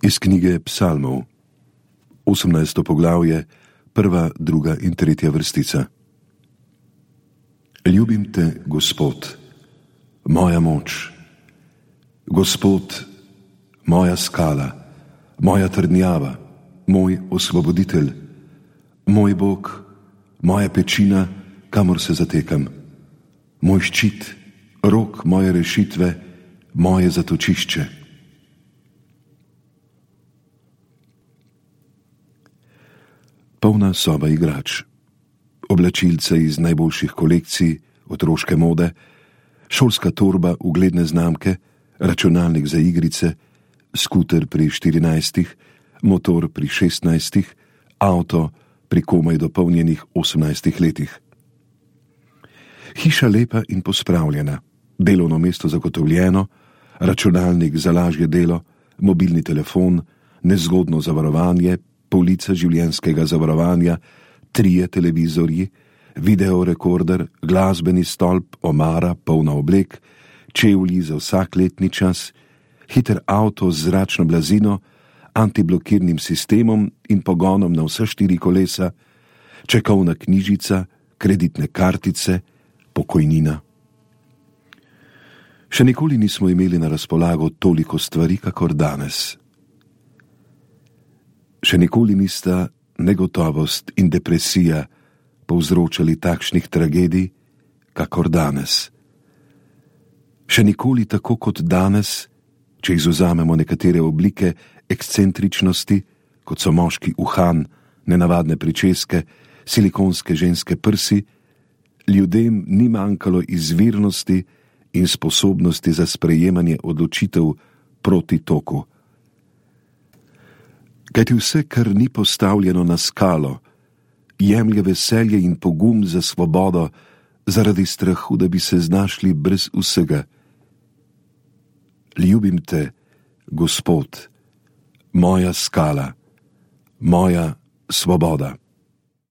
Iz knjige Psalmov, 18. poglavje, 1., 2. in 3. vrstica. Ljubim te, Gospod, moja moč, Gospod, moja skala, moja trdnjava, moj osvoboditelj, moj Bog, moja pečina, kamor se zatekam, moj ščit, rok moje rešitve, moje zatočišče. Polna soba igrač, oblačilce iz najboljših kolekcij, otroške mode, šolska torba ugledne znamke, računalnik za igrice, skuter pri 14, motor pri 16, avto pri komaj dopolnjenih 18 letih. Hiša lepa in pospravljena, delovno mesto zagotovljeno, računalnik za lažje delo, mobilni telefon, nezgodno zavarovanje, polica življenjskega zavarovanja, 3 televizorji, videorekorder, glasbeni stolp, omara, polna oblek, čevlji za vsak letni čas, hiter avto z zračno blazino, antiblokirnim sistemom in pogonom na vse 4 kolesa, čekovna knjižica, kreditne kartice, pokojnina. Še nikoli nismo imeli na razpolago toliko stvari, kakor danes. Še nikoli nista negotovost in depresija povzročali takšnih tragedij, kakor danes. Še nikoli tako kot danes, če izvzamemo nekatere oblike ekscentričnosti, kot so moški uhan, nenavadne pričeske, silikonske ženske prsi, ljudem ni manjkalo izvirnosti in sposobnosti za sprejemanje odločitev proti toku. Kajti vse, kar ni postavljeno na skalo, jemlje veselje in pogum za svobodo zaradi strahu, da bi se znašli brez vsega. Ljubim te, Gospod, moja skala, moja svoboda.